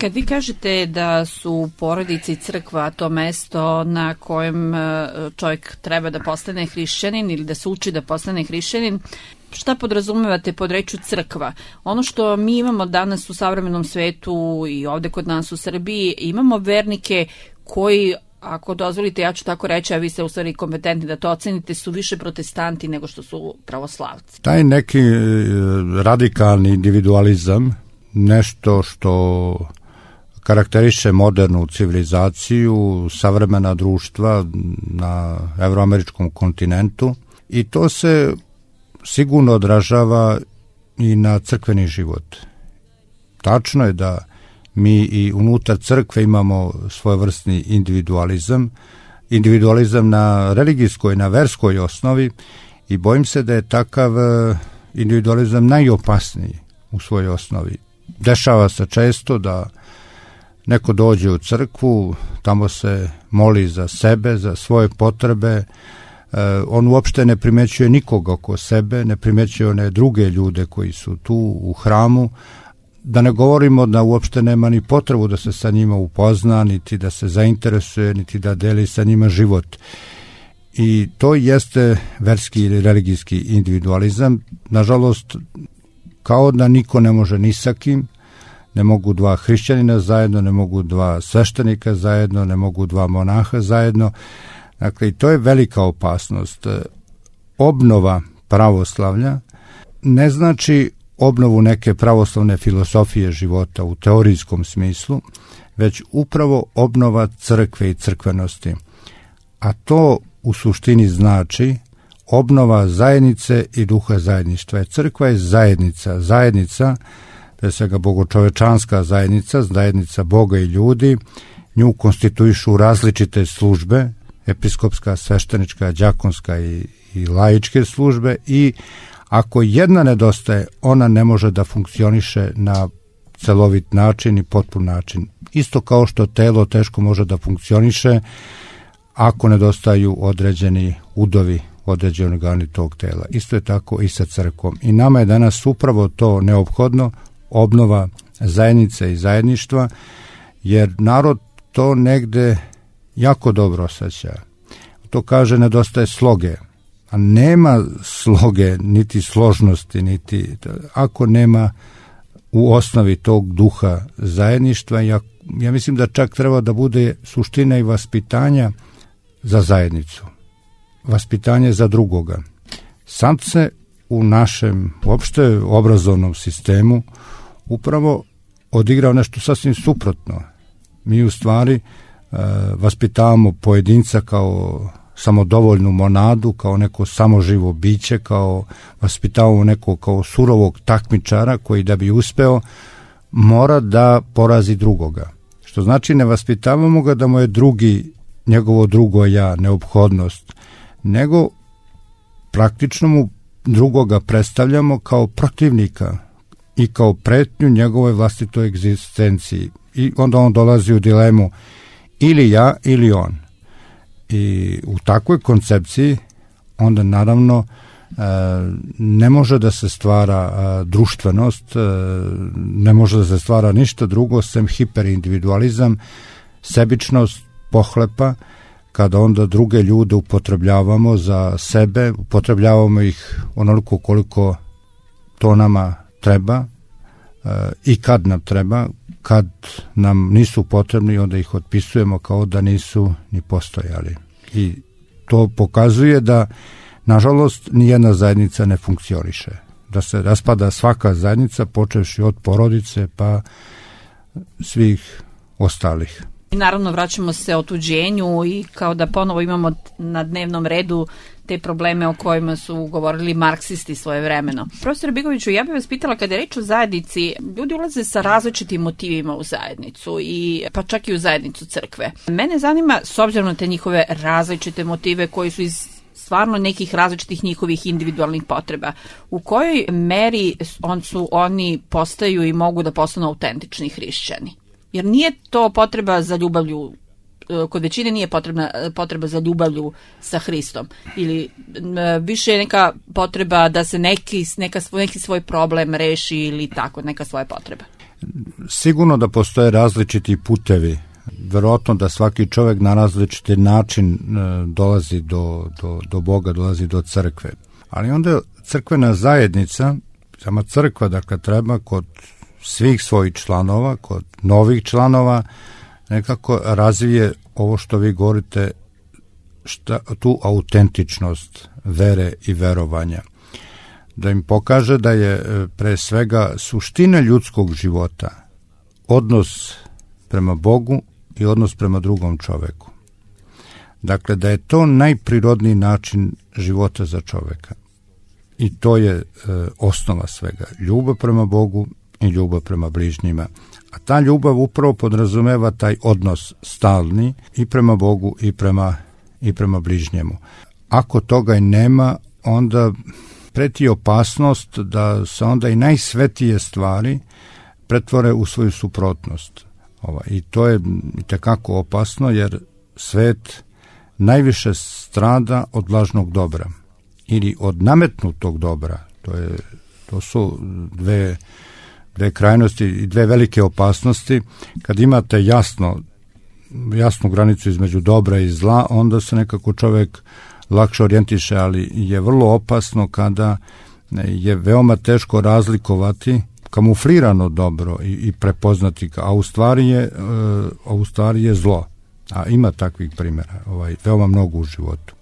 Kad vi kažete da su porodica i crkva to mesto na kojem čovjek treba da postane hrišćanin ili da se uči da postane hrišćanin, šta podrazumevate pod rečju crkva? Ono što mi imamo danas u savremenom svetu i ovde kod nas u Srbiji, imamo vernike koji, ako dozvolite, ja ću tako reći, a vi ste u stvari kompetentni da to ocenite, su više protestanti nego što su pravoslavci. Taj neki radikalni individualizam, nešto što karakteriše modernu civilizaciju, savremena društva na evroameričkom kontinentu, i to se sigurno odražava i na crkveni život. Tačno je da mi i unutar crkve imamo svojevrsni individualizam na religijskoj, na verskoj osnovi, i bojim se da je takav individualizam najopasniji u svojoj osnovi. Dešava se često da neko dođe u crkvu, tamo se moli za sebe, za svoje potrebe, on uopšte ne primećuje nikoga oko sebe, ne primećuje one druge ljude koji su tu u hramu, da ne govorimo da uopšte nema ni potrebu da se sa njima upozna, niti da se zainteresuje, niti da deli sa njima život. I to jeste verski ili religijski individualizam. Nažalost, kao da niko ne može ni sa kim, ne mogu dva hrišćanina zajedno, ne mogu dva sveštenika zajedno, ne mogu dva monaha zajedno. Dakle, i to je velika opasnost. Obnova pravoslavlja ne znači obnovu neke pravoslavne filosofije života u teorijskom smislu, već upravo obnova crkve i crkvenosti. A to u suštini znači obnova zajednice i duha zajedništva. Crkva je zajednica, pre svega bogočovečanska zajednica Boga i ljudi. Nju konstituišu različite službe, episkopska, sveštenička, đakonska i laičke službe, i ako jedna nedostaje, ona ne može da funkcioniše na celovit način i potpun način. Isto kao što telo teško može da funkcioniše ako nedostaju određeni udovi, određeni organi tog tela. Isto je tako i sa crkvom. I nama je danas upravo to neophodno, obnova zajednice i zajedništva, jer narod to negde jako dobro osjeća. To kaže nedostaje sloge, a nema sloge, niti složnosti, niti ako nema u osnovi tog duha zajedništva. Ja mislim da čak treba da bude suština i vaspitanja za zajednicu, vaspitanje za drugoga. Sad se u našem uopšte obrazovnom sistemu upravo odigrao nešto sasvim suprotno. Mi u stvari vaspitavamo pojedinca kao samodovoljnu monadu, kao neko samoživo biće, kao vaspitavamo neko kao surovog takmičara koji da bi uspeo mora da porazi drugoga. Što znači ne vaspitavamo ga da mu je njegovo drugo ja neophodnost, nego praktično mu drugoga predstavljamo kao protivnika i kao pretnju njegovoj vlastitoj egzistenciji. I onda on dolazi u dilemu ili ja ili on. I u takvoj koncepciji onda naravno ne može da se stvara društvenost, ne može da se stvara ništa drugo sem hiperindividualizam, sebičnost, pohlepa, kada onda druge ljude upotrebljavamo za sebe, upotrebljavamo ih onoliko koliko to nama treba i kad nam treba, kad nam nisu potrebni, onda ih otpisujemo kao da nisu ni postojali. I to pokazuje da, nažalost, nijedna zajednica ne funkcioniše. Da se raspada svaka zajednica, počevši od porodice pa svih ostalih. I naravno vraćamo se otuđenju i kao da ponovo imamo na dnevnom redu te probleme o kojima su govorili marksisti svojevremeno. Profesor Bigoviću, ja bih vas pitala, kada je reč o zajednici, ljudi ulaze sa različitim motivima u zajednicu, pa čak i u zajednicu crkve. Mene zanima, s obzirom na te njihove različite motive koji su iz stvarno nekih različitih njihovih individualnih potreba, u kojoj meri oni postaju i mogu da postanu autentični hrišćani? Jer nije to potreba za ljubavlju, kod većine nije potreba za ljubavlju sa Hristom, ili više je neka potreba da se neki svoj problem reši ili tako, neka svoja potreba. Sigurno da postoje različiti putevi, verovatno da svaki čovjek na različiti način dolazi do Boga, dolazi do crkve. Ali onda crkvena zajednica, sama crkva, dakle, treba kod svih svojih članova, kod novih članova, nekako razvije ovo što vi govorite, tu autentičnost vere i verovanja. Da im pokaže da je pre svega suština ljudskog života odnos prema Bogu i odnos prema drugom čoveku. Dakle, da je to najprirodniji način života za čoveka. I to je osnova svega. Ljubav prema Bogu i ljubav prema bližnjima. A ta ljubav upravo podrazumeva taj odnos stalni i prema Bogu i prema bližnjemu. Ako toga i nema, onda preti opasnost da se onda i najsvetije stvari pretvore u svoju suprotnost. I to je itekako opasno, jer svet najviše strada od lažnog dobra ili od nametnutog dobra. To su dve krajnosti i dve velike opasnosti. Kad imate jasnu granicu između dobra i zla, onda se nekako čovjek lakše orijentiše, ali je vrlo opasno kada je veoma teško razlikovati kamuflirano dobro i prepoznati ga, a u stvari je zlo. A ima takvih primjera, veoma mnogo u životu.